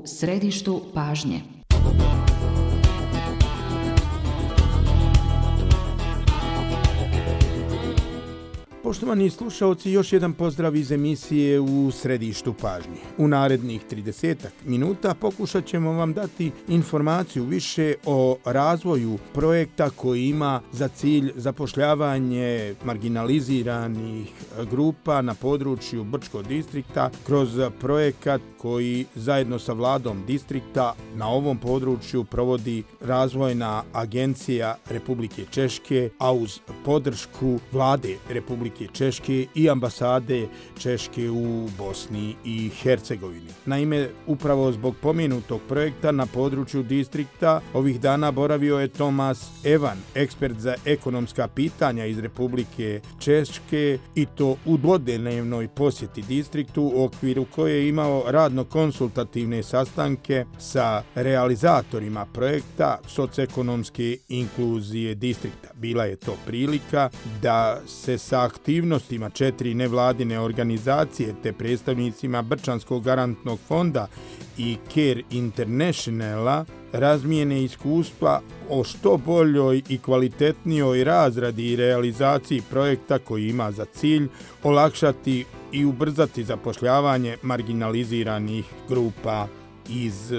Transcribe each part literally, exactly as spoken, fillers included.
središtu pažnje. Poštovani slušaoci, još jedan pozdrav iz emisije U središtu pažnje. U narednih tridesetak minuta pokušat ćemo vam dati informaciju više o razvoju projekta koji ima za cilj zapošljavanje marginaliziranih grupa na području Brčkog distrikta kroz projekat koji zajedno sa vladom distrikta na ovom području provodi Razvojna agencija Republike Češke, a uz podršku vlade Republike Češke i ambasade Češke u Bosni i Hercegovini. Naime, upravo zbog pomenutog projekta na području distrikta ovih dana boravio je Tomas Evan, ekspert za ekonomska pitanja iz Republike Češke, i to u dvodnevnoj posjeti distriktu u okviru koje je imao radno-konsultativne sastanke sa realizatorima projekta socioekonomske inkluzije distrikta. Bila je to prilika da se sa aktivnostima četiri nevladine organizacije te predstavnicima Brčanskog garantnog fonda i Care Internationala razmijene iskustva o što boljoj i kvalitetnijoj razradi i realizaciji projekta koji ima za cilj olakšati i ubrzati zapošljavanje marginaliziranih grupa iz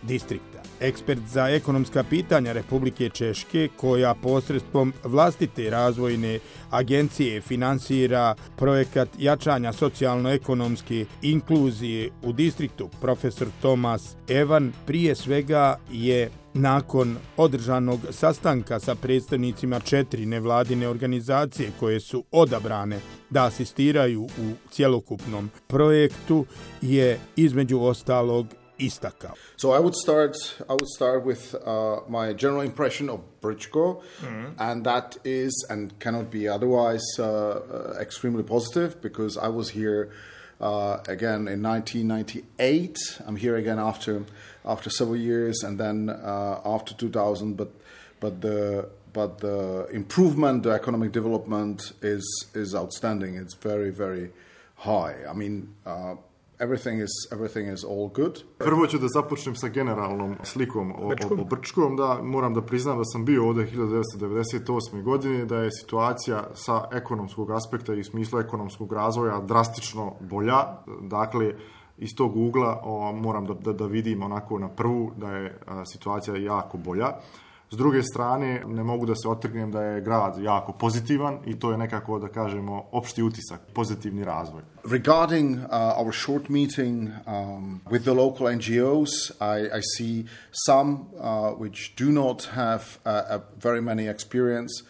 distrikta. Ekspert za ekonomska pitanja Republike Češke, koja posredstvom vlastite razvojne agencije finansira projekat jačanja socijalno-ekonomske inkluzije u distriktu, profesor Tomas Evan, prije svega je nakon održanog sastanka sa predstavnicima četiri nevladine organizacije koje su odabrane da asistiraju u cjelokupnom projektu, je između ostalog istakao. So I would start I would start with uh, my general impression of Brčko, mm-hmm. and that is and cannot be otherwise uh, uh, extremely positive, because I was here uh, again in nineteen ninety-eight. I'm here again after after several years, and then uh, after two thousand. But but the but the improvement, the economic development is is outstanding. It's very very high. I mean. Uh, Everything is, everything is all good. Prvo ću da započnem sa generalnom slikom o, o, o Brčkom. Da, moram da priznam da sam bio ovdje hiljadu devetsto devedeset osme. godine, da je situacija sa ekonomskog aspekta i u smislu ekonomskog razvoja drastično bolja. Dakle, iz tog ugla o, moram da, da, da vidim onako na prvu da je a, situacija jako bolja. S druge strane, ne mogu da se otrgnem da je grad jako pozitivan i to je nekako, da kažemo, opšti utisak, pozitivni razvoj. Regarding uh, our short meeting um, with the local N G Os, I, I see some uh, which do not have uh, a very many experience,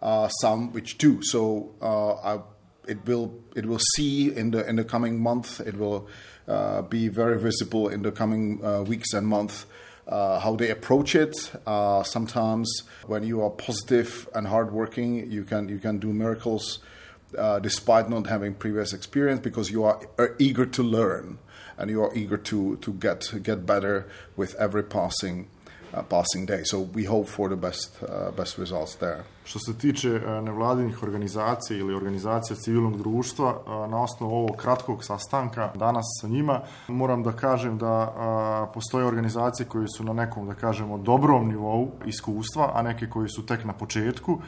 uh, some which do. So uh, I, it will it will see in the in the coming month. It will uh, be very visible in the coming uh, weeks and months. Uh, how they approach it. Uh, sometimes, when you are positive and hardworking, you can you can do miracles, uh, despite not having previous experience, because you are, are eager to learn and you are eager to to get get better with every passing uh, passing day. So we hope for the best uh, best results there. Što se tiče nevladinih organizacija ili organizacija civilnog društva, na osnovu ovog kratkog sastanka danas sa njima, moram da kažem da postoje organizacije koje su na nekom, da kažemo, dobrom nivou iskustva, a neke koje su tek na početku.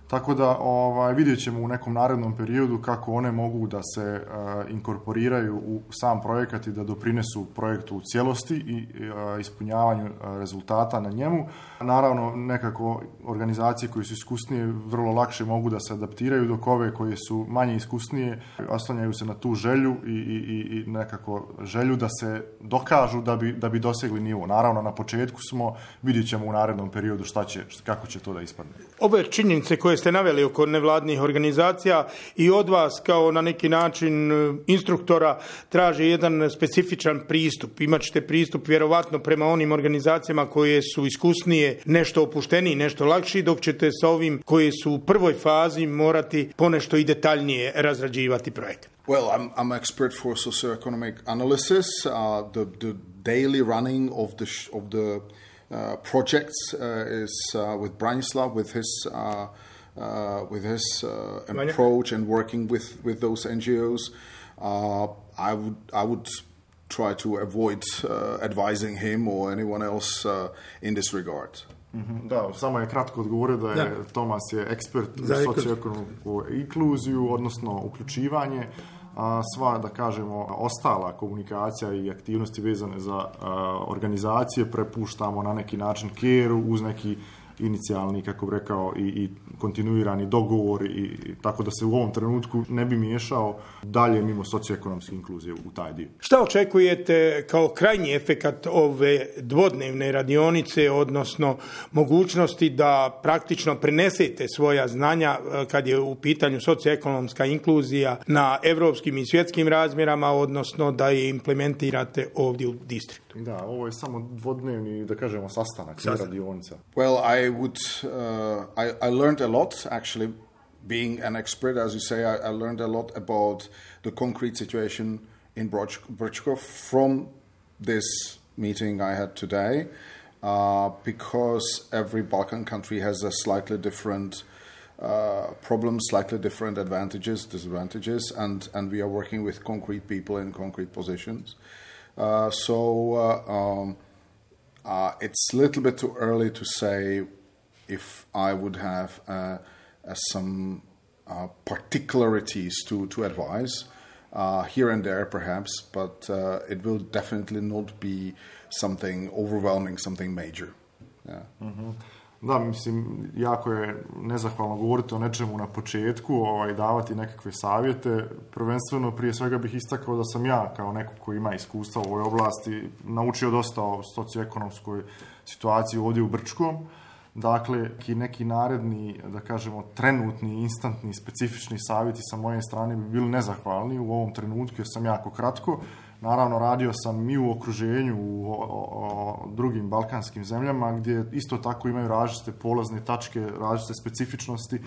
Tako da ovaj, vidjet ćemo u nekom narednom periodu kako one mogu da se uh, inkorporiraju u sam projekat i da doprinesu projektu u cijelosti i uh, ispunjavanju uh, rezultata na njemu. Naravno, nekako organizacije koje su iskusnije vrlo lakše mogu da se adaptiraju, dok ove koje su manje iskusnije oslanjaju se na tu želju i, i, i nekako želju da se dokažu da bi, da bi dosegli nivo. Naravno, na početku smo, vidjet ćemo u narednom periodu šta će, kako će to da ispadne. Ove činjenice koje ste naveli oko nevladnih organizacija i od vas kao na neki način instruktora traže jedan specifičan pristup. Imaćete pristup vjerovatno prema onim organizacijama koje su iskusnije, nešto opušteniji, nešto lakši, dok ćete sa ovim koje su u prvoj fazi morati ponešto i detaljnije razrađivati projekt. Well, I'm I'm expert for socioeconomic analysis. Uh, the the daily running of the sh- of the uh, projects uh, is uh, with Branislav, with his uh, uh, with his uh, approach and working with, with those N G Os. Uh, I would I would try to avoid uh, advising him or anyone else uh, in this regard. Da, samo je kratko odgovorio da je da. Tomas je ekspert za socioekonomsku inkluziju, odnosno uključivanje, a sva, da kažemo, ostala komunikacija i aktivnosti vezane za a, organizacije prepuštamo na neki način keru uz neki inicijalni, kako bi rekao, i, i kontinuirani dogovor, i, i tako da se u ovom trenutku ne bi miješao dalje mimo socioekonomske inkluzije u taj dio. Šta očekujete kao krajnji efekat ove dvodnevne radionice, odnosno mogućnosti da praktično prenesete svoja znanja kad je u pitanju socioekonomska inkluzija na evropskim i svjetskim razmjerama, odnosno da je implementirate ovdje u distriktu? Da, ovo je samo dvodnevni, da kažemo, sastanak, ne radionica. Well, I would, uh, I, I learned a lot, actually, being an expert, as you say, I, I learned a lot about the concrete situation in Brčko from this meeting I had today, uh, because every Balkan country has a slightly different uh, problems, slightly different advantages, disadvantages, and, and we are working with concrete people in concrete positions. Uh, so uh, um, uh, it's a little bit too early to say if I would have uh, uh, some uh, particularities to, to advise, uh, here and there perhaps, but uh, it will definitely not be something overwhelming, something major. Yeah. Mm-hmm. Da, mislim, jako je nezahvalno govoriti o nečemu na početku, ovaj, davati nekakve savjete. Prvenstveno, prije svega bih istakao da sam ja, kao neko koji ima iskustva u ovoj oblasti, naučio dosta o socioekonomskoj situaciji ovdje u Brčkom. Dakle, neki naredni, da kažemo, trenutni, instantni, specifični savjeti sa moje strane bi bili nezahvalni u ovom trenutku, jer sam jako kratko. Naravno, radio sam i u okruženju, u o, o, drugim balkanskim zemljama, gdje isto tako imaju različite polazne tačke, različite specifičnosti,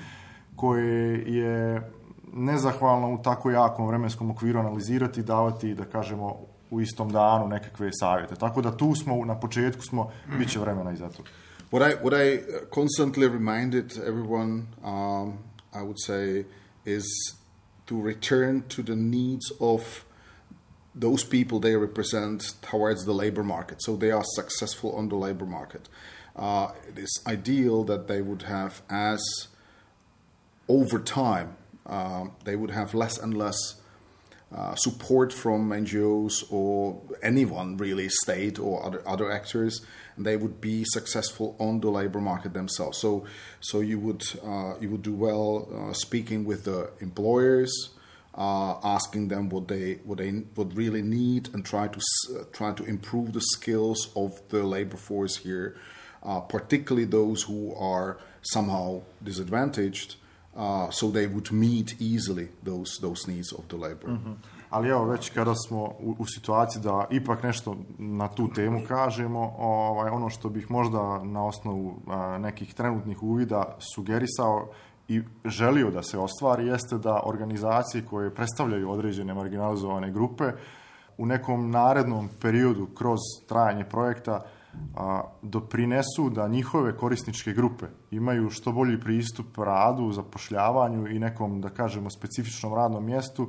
koje je nezahvalno u tako jakom vremenskom okviru analizirati i davati, da kažemo, u istom danu nekakve savjete. Tako da tu smo, na početku smo, bit će vremena i za to. What I, what I constantly reminded everyone, um, I would say, is to return to the needs of those people they represent towards the labor market, so they are successful on the labor market. Uh, it is ideal that they would have, as over time, uh, they would have less and less uh, support from N G Os or anyone really, state or other other actors, and they would be successful on the labor market themselves. So, so you would uh, you would do well uh, speaking with the employers. Uh, asking them what they what they would really need, and try to uh, try to improve the skills of the labor force here, uh, particularly those who are somehow disadvantaged, uh, so they would meet easily those those needs of the labor. Mm-hmm. Ali evo, već kada smo u, u situaciji da ipak nešto na tu temu kažemo, ovaj, ono što bih možda na osnovu a, nekih trenutnih uvida sugerisao i želio da se ostvari, jeste da organizacije koje predstavljaju određene marginalizovane grupe u nekom narednom periodu kroz trajanje projekta a, doprinesu da njihove korisničke grupe imaju što bolji pristup radu, zapošljavanju i nekom, da kažemo, specifičnom radnom mjestu,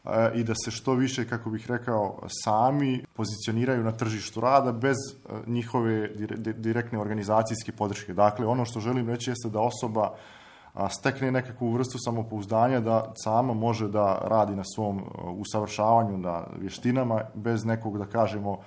a, i da se što više, kako bih rekao, sami pozicioniraju na tržištu rada bez a, njihove direktne organizacijske podrške. Dakle, ono što želim reći jeste da osoba a stekne nekakvu vrstu samopouzdanja da sama može da radi na svom usavršavanju, na vještinama, bez nekog, da kažemo,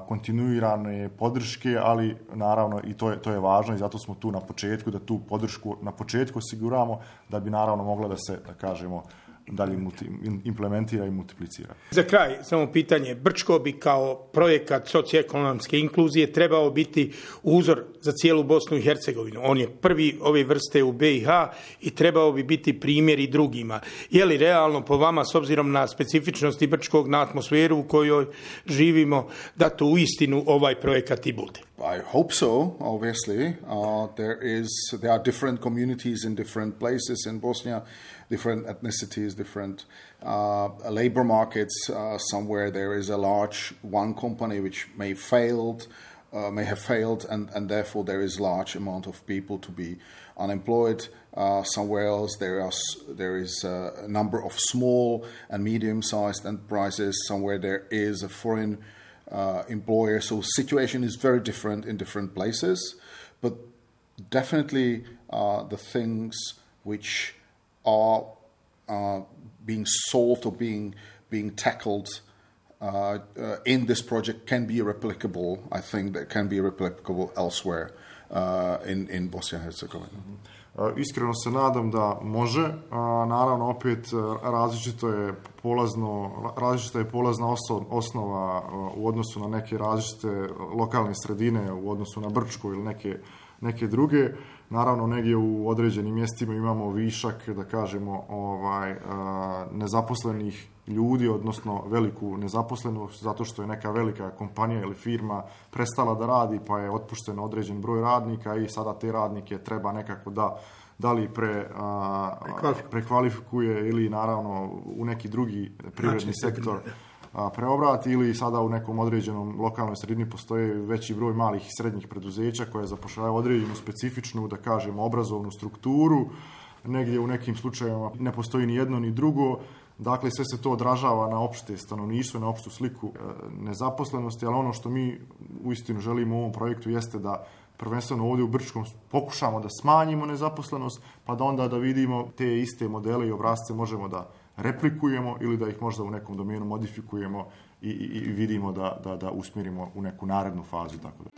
kontinuirane podrške, ali naravno i to je, to je važno i zato smo tu na početku, da tu podršku na početku osiguramo, da bi naravno mogla da se, da kažemo, dalje multi, implementira i multiplicira. Za kraj, samo pitanje. Brčko bi kao projekat socioekonomske inkluzije trebao biti uzor za cijelu Bosnu i Hercegovinu. On je prvi ove vrste u be i ha i trebao bi biti primjer i drugima. Je li realno po vama, s obzirom na specifičnosti Brčkog, na atmosferu u kojoj živimo, da to uistinu ovaj projekat i bude? I hope so, obviously. Uh, there is, there are different communities in different places in Bosnia, different ethnicities, different uh, labor markets. Uh, somewhere there is a large one company which may failed uh, may have failed, and, and therefore there is large amount of people to be unemployed. Uh, somewhere else there, are, there is a number of small and medium-sized enterprises. Somewhere there is a foreign uh, employer. So situation is very different in different places. But definitely uh, the things which are uh, being solved or being being tackled uh, uh, in this project can be replicable. I think that can be replicable elsewhere uh, in, in Bosnia and Herzegovina. Mm-hmm. Iskreno se nadam da može. Naravno, opet različito je polazno, različita je polazna osnova u odnosu na neke različite lokalne sredine, u odnosu na Brčko ili neke, neke druge. Naravno, negdje u određenim mjestima imamo višak, da kažemo, ovaj, nezaposlenih ljudi, odnosno veliku nezaposlenost, zato što je neka velika kompanija ili firma prestala da radi, pa je otpušten određen broj radnika i sada te radnike treba nekako da, da li pre, a, prekvalifikuje ili naravno u neki drugi privredni sektor a, preobrati, ili sada u nekom određenom lokalnoj sredini postoje veći broj malih i srednjih preduzeća koje zapošljavaju određenu specifičnu, da kažemo, obrazovnu strukturu. Negdje u nekim slučajevima ne postoji ni jedno ni drugo. Dakle, sve se to odražava na opšte stanovništvo, na opštu sliku nezaposlenosti, ali ono što mi uistinu želimo u ovom projektu jeste da prvenstveno ovdje u Brčkom pokušamo da smanjimo nezaposlenost, pa da onda da vidimo te iste modele i obrasce možemo da replikujemo ili da ih možda u nekom domenu modifikujemo i, i, i vidimo da, da, da usmjerimo u neku narednu fazu. Tako da.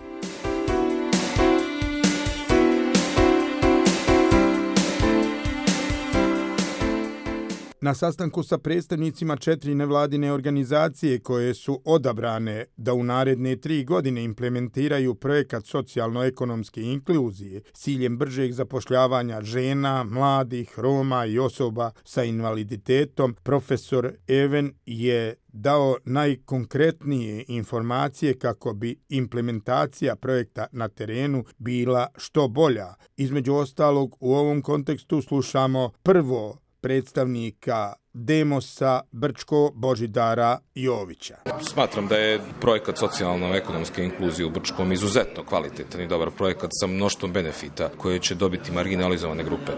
Na sastanku sa predstavnicima četiri nevladine organizacije koje su odabrane da u naredne tri godine implementiraju projekat socijalno-ekonomske inkluzije s ciljem bržeg zapošljavanja žena, mladih, Roma i osoba sa invaliditetom, profesor Even je dao najkonkretnije informacije kako bi implementacija projekta na terenu bila što bolja. Između ostalog, u ovom kontekstu slušamo prvo predstavnika Demosa Brčko Božidara Jovića. Smatram da je projekat socijalno-ekonomske inkluzije u Brčkom izuzetno kvalitetan i dobar projekat sa mnoštvom benefita koje će dobiti marginalizovane grupe.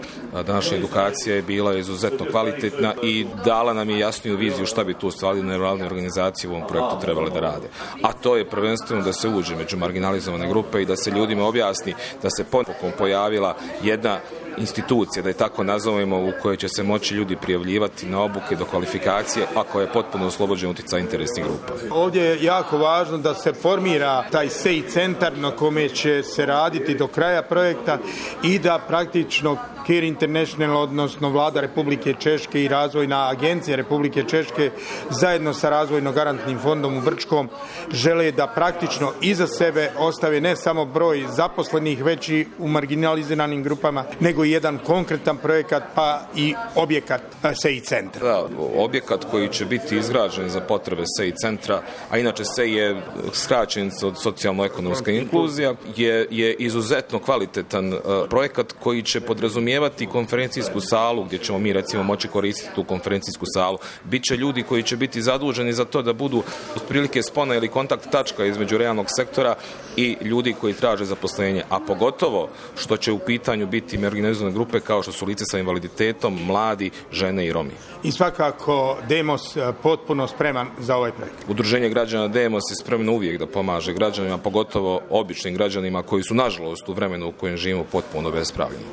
Današnja edukacija je bila izuzetno kvalitetna i dala nam je jasniju viziju šta bi tu stvari nevladine organizacije u ovom projektu trebale da rade. A to je prvenstveno da se uđe među marginalizovane grupe i da se ljudima objasni da se ponovom pojavila jedna institucija, da je tako nazovemo, u kojoj će se moći ljudi prijavljivati na obuke do kvalifikacije, a koja je potpuno oslobođena utjecaja interesnih grupa. Ovdje je jako važno da se formira taj S E I centar na kome će se raditi do kraja projekta i da praktično Care International, odnosno Vlada Republike Češke i Razvojna agencija Republike Češke zajedno sa Razvojno-garantnim fondom u Brčkom žele da praktično iza sebe ostave ne samo broj zaposlenih već i u marginaliziranim grupama, nego i jedan konkretan projekat pa i objekat S E I centra. Da, objekat koji će biti izgrađen za potrebe S E I centra, a inače S E I je skraćenica od socijalno-ekonomska inkluzija, je, je izuzetno kvalitetan uh, projekat koji će podrazumijevati konferencijsku salu gdje ćemo mi recimo moći koristiti tu konferencijsku salu. Biće ljudi koji će biti zaduženi za to da budu otprilike spona ili kontakt tačka između realnog sektora i ljudi koji traže zaposlenje, a pogotovo što će u pitanju biti marginalizovane grupe kao što su lice sa invaliditetom, mladi, žene i Romi. I svakako Demos potpuno spreman za ovaj projekt. Udruženje građana Demos je spremno uvijek da pomaže građanima, pogotovo običnim građanima koji su nažalost u vremenu u kojem živimo potpuno bespravljeni.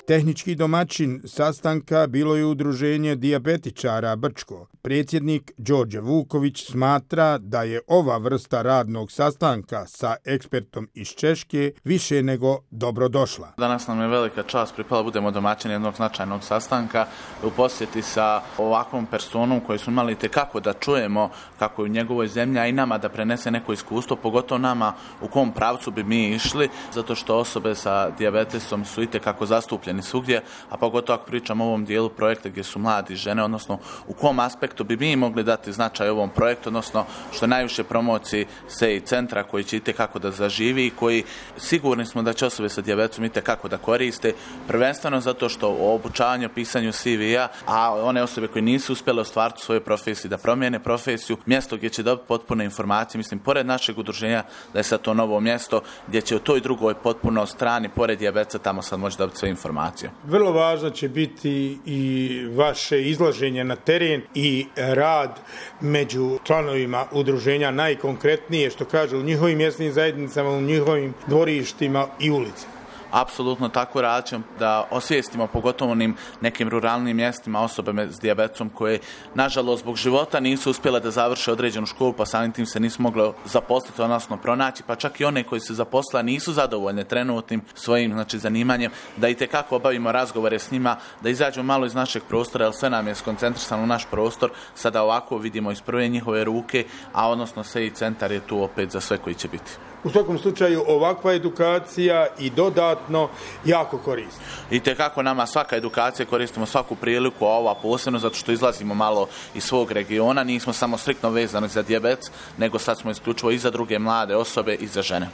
Tehnički domaćin sastanka bilo je udruženje dijabetičara Brčko. Predsjednik Đorđe Vuković smatra da je ova vrsta radnog sastanka sa ekspertom iz Češke više nego dobro došla. Danas nam je velika čast pripala budemo domaćini jednog značajnog sastanka u posjeti sa ovakvom personom koju smo imali itekako da čujemo kako je u njegovoj zemlji, a i nama da prenese neko iskustvo, pogotovo nama u kom pravcu bi mi išli, zato što osobe sa dijabetesom su itekako zastupljeni svugdje, a pogotovo ako pričamo o ovom dijelu projekta gdje su mladi žene, odnosno u kom aspektu aspektu bi mi mogli dati značaj ovom projektu, odnosno što najviše promociji S E I centra koji će itekako da zaživi i koji sigurni smo da će osobe sa dijabetesom itekako da koriste, prvenstveno zato što o obučavanju, pisanju C V-a, a one osobe koje nisu uspjele ostvariti u svojoj profesiji da promijene profesiju, mjesto gdje će dobiti potpune informacije, mislim, pored našeg udruženja da je sad to novo mjesto gdje će u toj drugoj potpuno strani, pored dijabetesa, tamo sad može dobiti sve informacije. Vrlo važno će biti i vaše izlaženje na teren i rad među članovima udruženja, najkonkretnije što kaže u njihovim mjesnim zajednicama, u njihovim dvorištima i ulicama. Apsolutno tako radit ćemo da osvijestimo pogotovo onim nekim ruralnim mjestima osobe s dijabetesom koje nažalost zbog života nisu uspjele da završe određenu školu, pa samim tim se nisu mogli zaposliti, odnosno pronaći, pa čak i one koji se zaposle nisu zadovoljne trenutnim svojim znači, zanimanjem, da itekako obavimo razgovore s njima, da izađemo malo iz našeg prostora, jer sve nam je skoncentrisano u naš prostor, sada ovako vidimo iz prve njihove ruke, a odnosno S E I centar je tu opet za sve koji će biti. U svakom slučaju ovakva edukacija i dodatno jako korisna. I tekako nama svaka edukacija, koristimo svaku priliku, a ova posebno zato što izlazimo malo iz svog regiona, nismo samo striktno vezani za dijabetes, nego sad smo isključivo i za druge mlade osobe i za žene.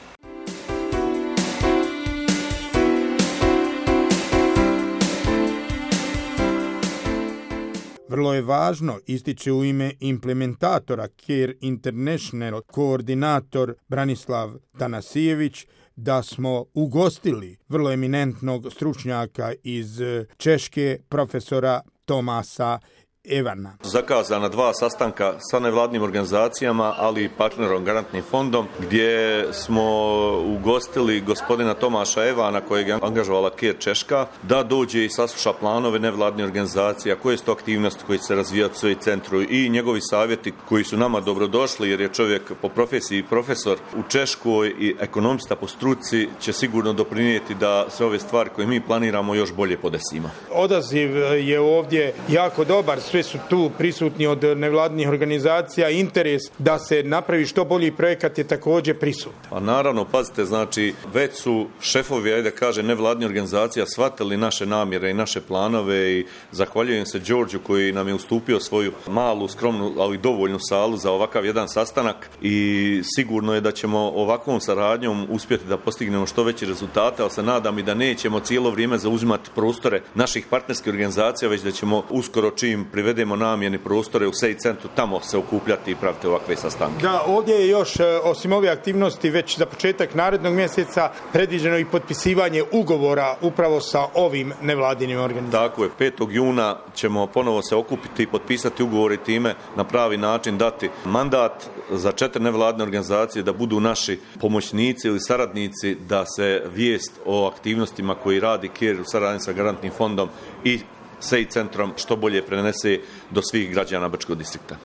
Vrlo je važno, ističe u ime implementatora Care International koordinator Branislav Tanasijević, da smo ugostili vrlo eminentnog stručnjaka iz Češke, profesora Tomasa Evana. Zakazana dva sastanka sa nevladnim organizacijama, ali i partnerom Garantnim fondom, gdje smo ugostili gospodina Tomaša Evana, kojeg je angažovala Care Češka, da dođe i sasluša planove nevladnih organizacija, koje su to aktivnosti koji se razvijaju u svoj centru i njegovi savjeti koji su nama dobrodošli, jer je čovjek po profesiji profesor u Češkoj i ekonomista po struci, će sigurno doprinijeti da sve ove stvari koje mi planiramo još bolje podesimo. Odaziv je ovdje jako dobar, sve su tu prisutni od nevladnih organizacija, interes da se napravi što bolji projekat je također prisutan. A naravno, pazite, znači, već su šefovi, ajde kaže, nevladnih organizacija shvatili naše namjere i naše planove i zahvaljujem se Đorđu koji nam je ustupio svoju malu, skromnu, ali dovoljnu salu za ovakav jedan sastanak i sigurno je da ćemo ovakvom saradnjom uspjeti da postignemo što veće rezultate, ali se nadam i da nećemo cijelo vrijeme zauzimati prostore naših partnerskih organizacija, već da ćemo uskoro čim privedemo namjeni prostore u S E I centru, tamo se okupljati i praviti ovakve sastanke. Da, ovdje je još, osim ove aktivnosti, već za početak narednog mjeseca predviđeno i potpisivanje ugovora upravo sa ovim nevladinim organizacijama. Tako je, petog juna ćemo ponovo se okupiti i potpisati ugovor i time na pravi način dati mandat za četiri nevladine organizacije da budu naši pomoćnici ili saradnici, da se vijest o aktivnostima koji radi Care u saradnji sa Garantnim fondom i S E I centrom što bolje prenese do svih građana Brčkog distrikta.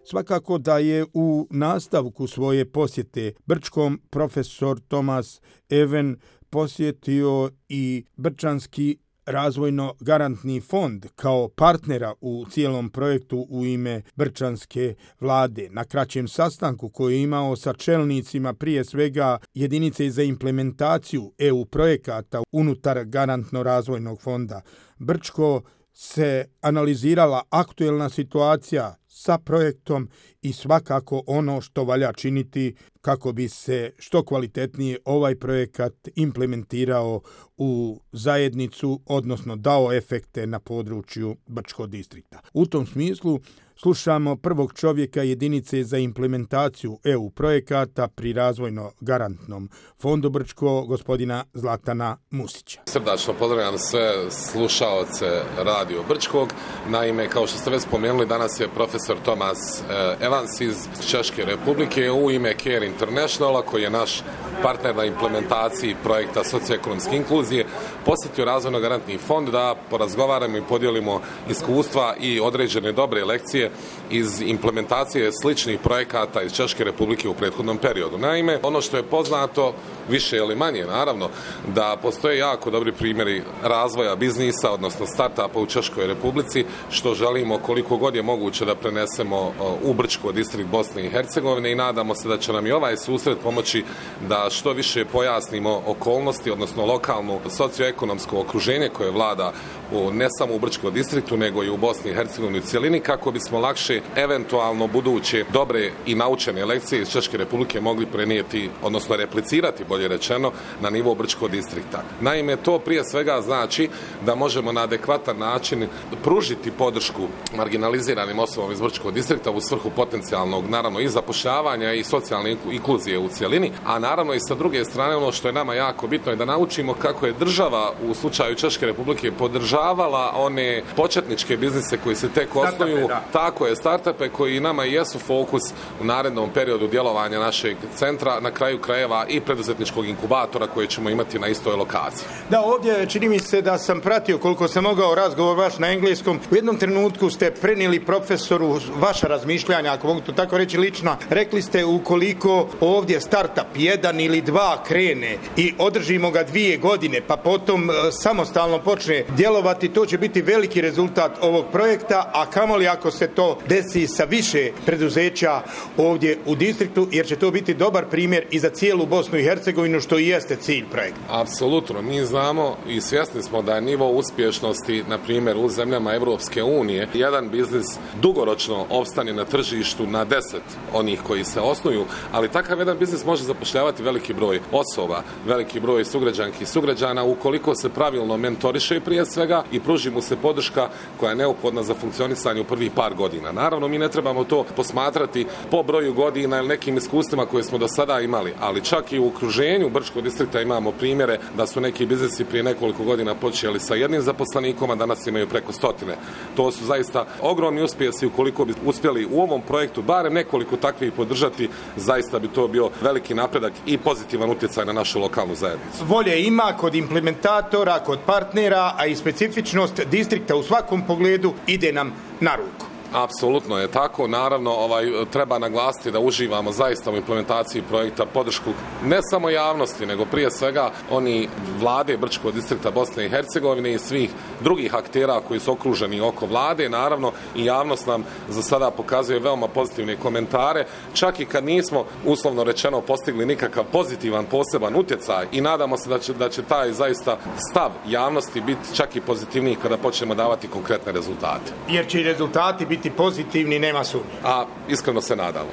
Svakako da je u nastavku svoje posjete Brčkom profesor Tomas Even posjetio i Brčanski razvojno-garantni fond kao partnera u cijelom projektu u ime Brčanske vlade. Na kraćem sastanku koji je imao sa čelnicima prije svega jedinice za implementaciju E U projekata unutar garantno-razvojnog fonda Brčko se analizirala aktuelna situacija sa projektom i svakako ono što valja činiti kako bi se što kvalitetnije ovaj projekat implementirao u zajednicu, odnosno dao efekte na području Brčkog distrikta. U tom smislu slušamo prvog čovjeka jedinice za implementaciju E U projekata pri razvojno-garantnom fondu Brčko, gospodina Zlatana Musića. Srdačno pozdravljam sve slušaoce Radio Brčkog. Naime, kao što ste već spomenuli, danas je profesor Tomas Evans iz Češke republike u ime Care Internationala, koji je naš partner na implementaciji projekta socioekonomske inkluzije, posjetio razvojno-garantni fond da porazgovaramo i podijelimo iskustva i određene dobre lekcije iz implementacije sličnih projekata iz Češke republike u prethodnom periodu. Naime, ono što je poznato, više ili manje naravno, da postoje jako dobri primjeri razvoja biznisa, odnosno startupa u Češkoj republici, što želimo koliko god je moguće da prenesemo u Brčko, distrikt Bosne i Hercegovine, i nadamo se da će nam i ovaj susret pomoći da što više pojasnimo okolnosti, odnosno lokalno socioekonomsko okruženje koje vlada u, ne samo u Brčkom distriktu, nego i u Bosni i Hercegovini u cjelini, kako bismo lakše eventualno buduće dobre i naučene lekcije iz Češke Republike mogli prenijeti, odnosno replicirati, bolje rečeno, na nivo Brčkog distrikta. Naime, to prije svega znači da možemo na adekvatan način pružiti podršku marginaliziranim osobama iz Brčkog distrikta u svrhu potencijalnog, naravno, i zapošljavanja i socijalne inkluzije u cjelini, a naravno i sa druge strane ono što je nama jako bitno je da naučimo kako je država u slučaju Češke Republike podržavala one početničke biznise koji se tek osnuju, tako je, startupe koji nama jesu fokus u narednom periodu djelovanja našeg centra, na kraju krajeva i preduzetničkog inkubatora koje ćemo imati na istoj lokaciji. Da, ovdje čini mi se da sam pratio koliko sam mogao razgovor vaš na engleskom. U jednom trenutku ste prenijeli profesoru vaša razmišljanja, ako mogu to tako reći lično. Rekli ste ukoliko ovdje startup jedan ili dva krene i održimo ga dvije godine, pa potom samostalno počne djelovati, to će biti veliki rezultat ovog projekta, a kamoli ako se to desi sa više preduzeća ovdje u distriktu, jer će to biti dobar primjer i za cijelu Bosnu i Hercegovinu, što i jeste cilj projekta. Apsolutno, mi znamo i svjesni smo da je nivo uspješnosti, na primjer u zemljama Evropske unije, jedan biznis dugoročno opstane na tržištu na deset onih koji se osnuju, ali takav jedan biznis može zapošljavati veliki broj osoba, veliki broj sugrađanki i sugrađana ukoliko se pravilno mentoriše prije svega i pruži mu se podrška koja je neophodna za funkcionisanje u prvih par godina. Naravno, mi ne trebamo to posmatrati po broju godina ili nekim iskustvima koje smo do sada imali, ali čak i u okruženju Brčkog distrikta imamo primjere da su neki biznisi prije nekoliko godina počeli sa jednim zaposlenikom, a danas imaju preko stotine. To su zaista ogromni uspjesi. Ukoliko bi uspjeli u ovom projektu barem nekoliko takvih podržati, zaista bi to bio veliki napredak i pozitivan utjecaj na našu lokalnu zajednicu. Volje ima kod implementatora, kod partnera, a i specifičnost distrikta u svakom pogledu ide nam na ruku. Apsolutno je tako. Naravno, ovaj, treba naglasiti da uživamo zaista u implementaciji projekta podršku ne samo javnosti, nego prije svega oni vlade Brčkog distrikta Bosne i Hercegovine i svih drugih aktera koji su okruženi oko vlade. Naravno, i javnost nam za sada pokazuje veoma pozitivne komentare, čak i kad nismo, uslovno rečeno, postigli nikakav pozitivan, poseban utjecaj, i nadamo se da će, da će taj zaista stav javnosti biti čak i pozitivniji kada počnemo davati konkretne rezultate. Jer će i rezultati biti pozitivni, nema sumnje. A iskreno se nadamo.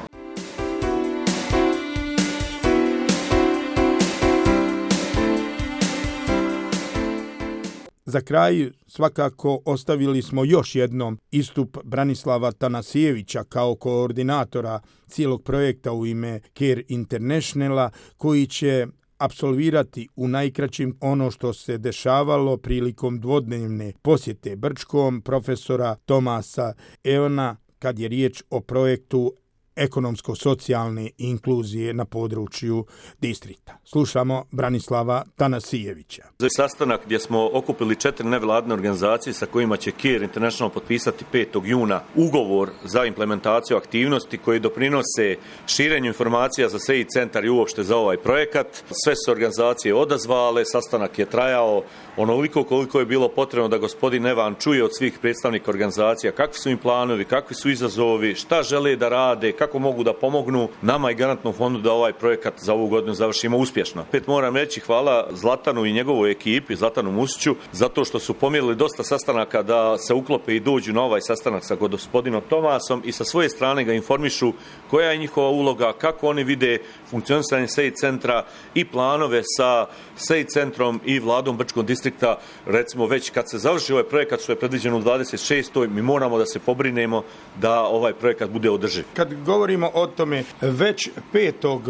Za kraj svakako ostavili smo još jednom istup Branislava Tanasijevića kao koordinatora cijelog projekta u ime Care Internationala, koji će apsolvirati u najkraćim ono što se dešavalo prilikom dvodnevne posjete Brčkom profesora Tomasa Evana kad je riječ o projektu ekonomsko-socijalne inkluzije na području distrikta. Slušamo Branislava Tanasijevića. Za sastanak gdje smo okupili četiri nevladine organizacije sa kojima će Care International potpisati petog juna ugovor za implementaciju aktivnosti koji doprinose širenju informacija za S E I centar i uopšte za ovaj projekat. Sve su organizacije odazvale, sastanak je trajao onoliko koliko je bilo potrebno da gospodin Evan čuje od svih predstavnika organizacija kakvi su im planovi, kakvi su izazovi, šta žele da rade, kako mogu da pomognu nama i garantnom fondu da ovaj projekat za ovu godinu završimo uspješno. Pet moram reći hvala Zlatanu i njegovoj ekipi, Zlatanu Musiću, zato što su pomjerili dosta sastanaka da se uklope i dođu na ovaj sastanak sa gospodinom Tomasom i sa svoje strane ga informišu koja je njihova uloga, kako oni vide funkcionisanje S E I centra i planove sa S E I centrom i vladom Brčkog distrikta. Recimo već kad se završi ovaj projekat što je predviđeno u dvadeset šestoj mi moramo da se pobrinemo da ovaj projekat bude održiv. Kad govorimo o tome, već petog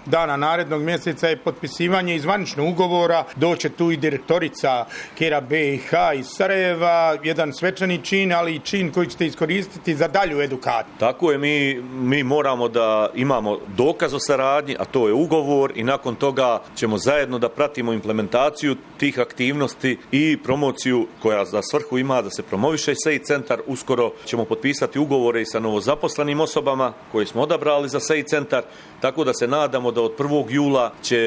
dana narednog mjeseca je potpisivanje i zvanično ugovora, doće tu i direktorica Care B i H iz Sarajeva, jedan svečani čin, ali i čin koji ćete iskoristiti za dalju edukaciju. Tako je, mi, mi moramo da imamo dokaz o saradnji, a to je ugovor, i nakon toga ćemo zajedno da pratimo implementaciju tih aktivnosti i promociju koja za svrhu ima da se promoviše S E I centar. Uskoro ćemo potpisati ugovore i sa novozaposlenim osobama koje smo odabrali za S E I centar, tako da se nadamo da od prvog jula će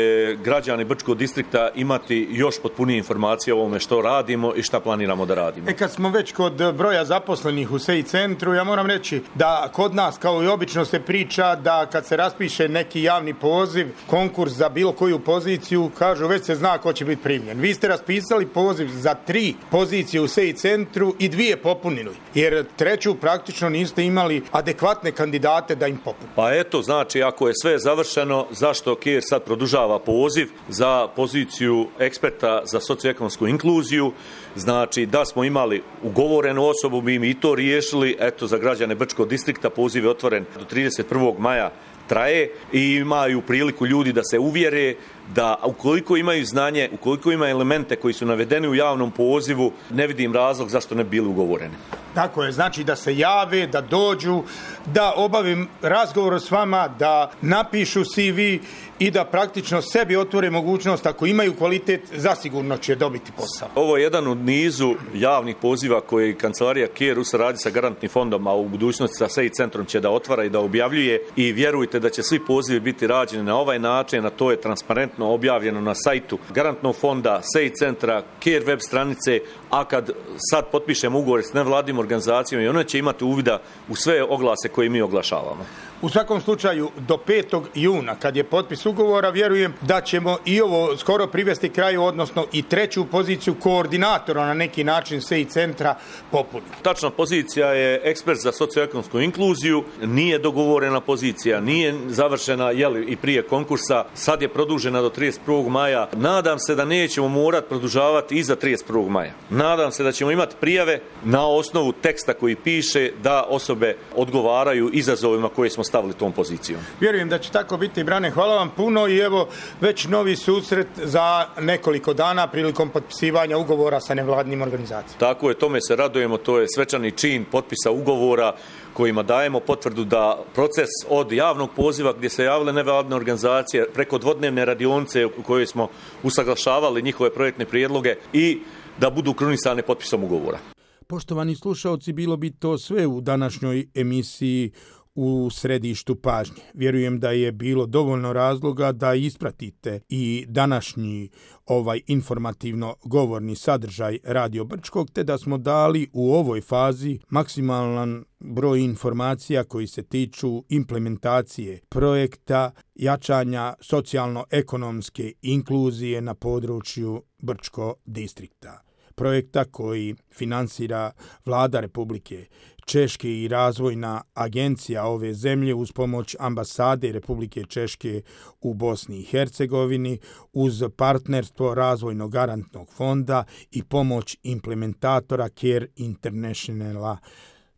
građani Brčkog distrikta imati još potpunije informacije o ovome što radimo i šta planiramo da radimo. E kad smo već kod broja zaposlenih u S E I centru, ja moram reći da kod nas, kao i obično, se priča da kad se raspiše neki javni poziv, konkurs za bilo koju poziciju, kažu već se zna ko će biti primljen. Vi ste raspisali poziv za tri pozicije u S E I centru i dvije popunili, jer treću praktično niste imali adekvatne kandidate da im popune. Pa eto, znači, ako je sve završeno, zašto K E R sad produžava poziv za poziciju eksperta za socioekonomsku inkluziju? Znači, da smo imali ugovorenu osobu, bi mi i to riješili. Eto, za građane Brčkog distrikta poziv je otvoren do trideset prvog maja traje i imaju priliku ljudi da se uvjere da ukoliko imaju znanje, ukoliko imaju elemente koji su navedeni u javnom pozivu, ne vidim razlog zašto ne bi bili ugovoreni. Tako je, znači da se jave, da dođu, da obavim razgovor s vama, da napišu C V i da praktično sebi otvore mogućnost, ako imaju kvalitet, zasigurno će dobiti posao. Ovo je jedan od nizu javnih poziva koje kancelarija K E R u saradnji sa garantnim fondom, a u budućnosti sa S E I centrom će da otvara i da objavljuje, i vjerujte da će svi pozivi biti rađeni na ovaj način, a to je transparentno objavljeno na sajtu garantnog fonda, S E I centra, K E R web stranice, a kad sad potpišemo ugovor s nevladnim organizacijama, i one će imati uvida u sve oglase koje mi oglašavamo. U svakom slučaju, do petog juna, kad je potpis ugovora, vjerujem da ćemo i ovo skoro privesti kraju, odnosno i treću poziciju koordinatora na neki način S E I centra popuniti. Tačna pozicija je ekspert za socioekonomsku inkluziju, nije dogovorena pozicija, nije završena jeli, i prije konkursa, sad je produžena do trideset prvog maja. Nadam se da nećemo morati produžavati i za trideset prvog maja. Nadam se da ćemo imati prijave na osnovu teksta koji piše da osobe odgovaraju izazovima koje smo stavili tom pozicijom. Vjerujem da će tako biti, Brane, hvala vam puno i evo već novi susret za nekoliko dana prilikom potpisivanja ugovora sa nevladnim organizacijama. Tako je, tome se radujemo, to je svečani čin potpisa ugovora kojima dajemo potvrdu da proces od javnog poziva gdje se javile nevladne organizacije preko dvodnevne radionice u kojoj smo usaglašavali njihove projektne prijedloge i da budu krunisane potpisom ugovora. Poštovani slušaoci, bilo bi to sve u današnjoj emisiji U središtu pažnje. Vjerujem da je bilo dovoljno razloga da ispratite i današnji ovaj informativno govorni sadržaj Radio Brčkog, te da smo dali u ovoj fazi maksimalan broj informacija koji se tiču implementacije projekta jačanja socijalno-ekonomske inkluzije na području Brčkog distrikta. Projekta koji finansira Vlada Republike Češke i razvojna agencija ove zemlje uz pomoć ambasade Republike Češke u Bosni i Hercegovini, uz partnerstvo razvojnog garantnog fonda i pomoć implementatora K E R Internationala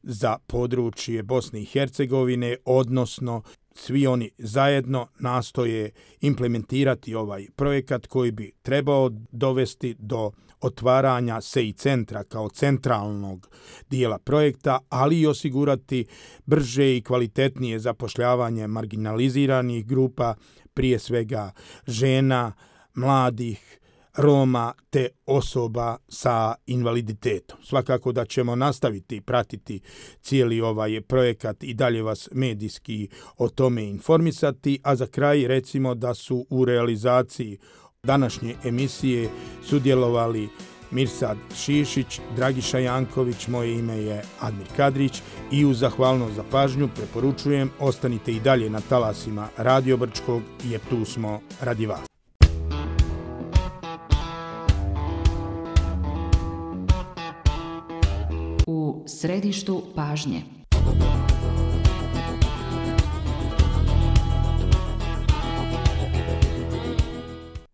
za područje Bosne i Hercegovine, odnosno svi oni zajedno nastoje implementirati ovaj projekat koji bi trebao dovesti do otvaranja S E I centra kao centralnog dijela projekta, ali i osigurati brže i kvalitetnije zapošljavanje marginaliziranih grupa, prije svega žena, mladih, Roma te osoba sa invaliditetom. Svakako da ćemo nastaviti pratiti cijeli ovaj projekat i dalje vas medijski o tome informisati, a za kraj recimo da su u realizaciji današnje emisije sudjelovali Mirsad Šišić, Dragiša Janković, moje ime je Admir Kadrić i uz zahvalnost za pažnju preporučujem ostanite i dalje na talasima Radio Brčkog jer tu smo radi vas. U središtu pažnje.